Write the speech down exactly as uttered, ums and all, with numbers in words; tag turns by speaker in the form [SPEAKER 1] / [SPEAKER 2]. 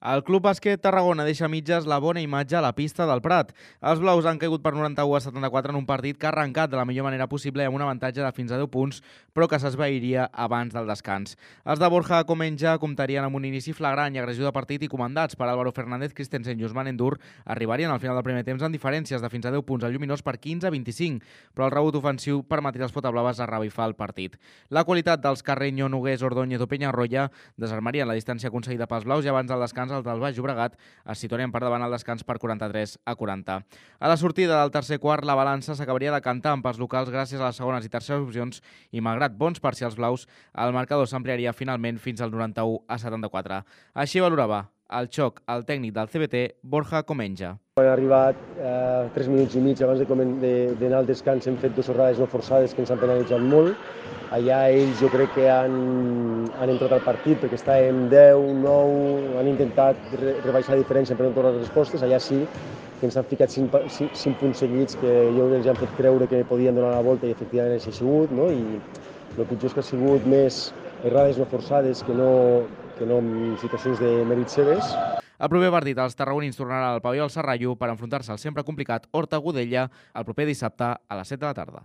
[SPEAKER 1] El Club Bàsquet Tarragona deixa a mitges la bona imatge a la pista del Prat. Els blaus han caigut per noranta-u a setanta-quatre en un partit que ha arrencat de la millor manera possible amb un avantatge de fins a deu punts, però que s'esvairia abans del descans. Els de Borja Comenja comptarien amb un inici flagrant i agressió de partit i comandats per Álvaro Fernández, Christensen i Ousmane Endur arribarien al final del primer temps en diferències de fins a deu punts al Lluminós per quinze a vint-i-cinc, però el rebut ofensiu permetria als potablaves a revifar el partit. La qualitat dels Carreño, Nogués, Ordóñez o Peñarroya desarmarien la distància aconseguida pels blaus i abans del descans els del Baix Llobregat es situarien per davant al descans per quaranta-tres a quaranta. A la sortida del tercer quart, la balança s'acabaria de cantar amb els locals gràcies a les segones i terceres opcions i, malgrat bons parcials blaus, el marcador s'ampliaria finalment fins al noranta-u a setanta-quatre. Així valorava el xoc el tècnic del C B T, Borja Comenja.
[SPEAKER 2] Quan ha arribat eh, tres minuts i mig abans d'anar al descans hem fet dues errades no forçades que ens han penalitzat molt. Allà ells jo crec que han, han entrat al partit perquè estàvem deu, nou, han intentat re rebaixar la diferència per no tornar les respostes. Allà sí que ens han ficat cinc, cinc, cinc punts seguits que jo els han fet creure que podien donar la volta i efectivament així ha sigut, no? I el pitjor és que ha sigut més errades no forçades que no, que no en situacions de mèrits seves.
[SPEAKER 1] El proper partit, els tarragonins tornaran al pavelló del Serrallo per enfrontar-se al sempre complicat Horta Godella el proper dissabte a les set de la tarda.